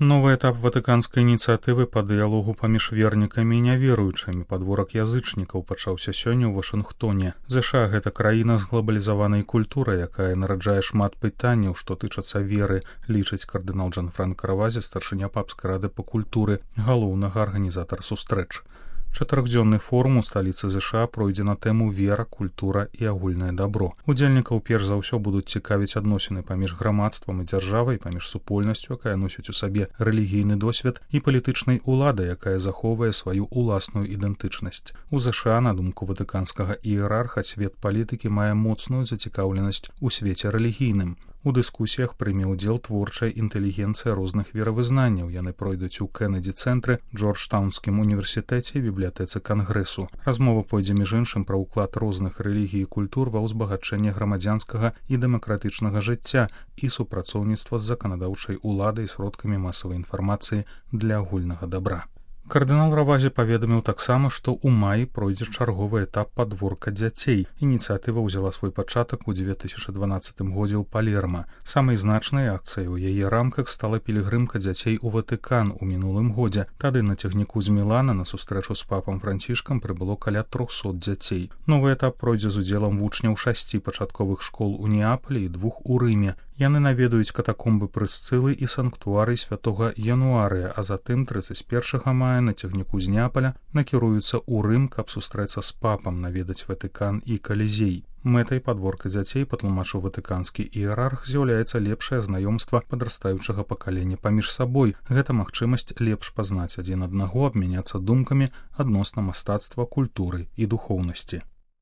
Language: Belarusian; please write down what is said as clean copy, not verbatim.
Новы этап ватыканскай ініцыятывы па дыялогу паміж вернікамі і няверуючымі падворак язычнікаў пачаўся сёння ў Вашынгтоне. ЗША гэта краіна з глабалізаванай культурай, якая нараджае шмат пытанняў, што тычацца веры, лічыць кардынал Джанфранка Равазе, старшыня папскай рады па культуры, галоўнага арганізатара сустрэч. Чатырохдзённы форум у сталіцы ЗША пройдзе на тэму вера, культура і агульнае дабро. Удзельнікаў перш за ўсё будуць цікавіць адносіны паміж грамадствам і дзяржавай, паміж супольнасцю, якая носіць у сабе рэлігійны досвед, і палітычнай уладай, якая захоўвае сваю ўласную ідэнтычнасць. У ЗША, на думку ватыканскага іерарха, свет палітыкі мае моцную зацікаўленасць у свеце рэлігійным. У дыскусіях прыме ўдзел творчая інтэлігенцыя розных веравызнанняў. Яны пройдуць у Кеннеді-цэнтры, Джорджтаунскім універсітэце і бібліятэцы Кангрэсу. Размова пойдзе між іншым пра ўклад розных рэлігій і культур ва ўзбагачэнне грамадзянскага і дэмакратычнага жыцця і супрацоўніцтва з заканадаўчай уладай і сродкамі масавай інфармацыі для агульнага дабра. Кардынал Равазе паведаміў таксама, што ў маі пройдзе чарговы этап падворка дзяцей. Ініцыятыва ўзяла свой пачатак у 2012 годзе ў Палерма. Самай значнай акцыяй у яе рамках стала пілігрымка дзяцей у Ватыкан у мінулым годзе. Тады на цягніку з Мілана на сустрэчу з папам Францішкам прыбыло каля 300 дзяцей. Новы этап пройдзе з удзелам вучняў 6 пачатковых школ у Неапалі і 2 у Рыме. Яны наведаюць катакомбы Прысцылы і санктуарый святога Януарыя, а затым 31 мая на цягніку з Неапаля накіруюцца ў Рым, каб сустрэцца з папам, наведаць Ватыкан і Калізей. Мэтай падворка дзяцей, патлумачыў ватыканскі іерарх, з'яўляецца лепшае знаёмства падрастаючага пакалення паміж сабой. Гэта магчымасць лепш пазнаць адзін аднаго, абмяняцца думкамі адносна мастацтва, культуры і духоўнасці.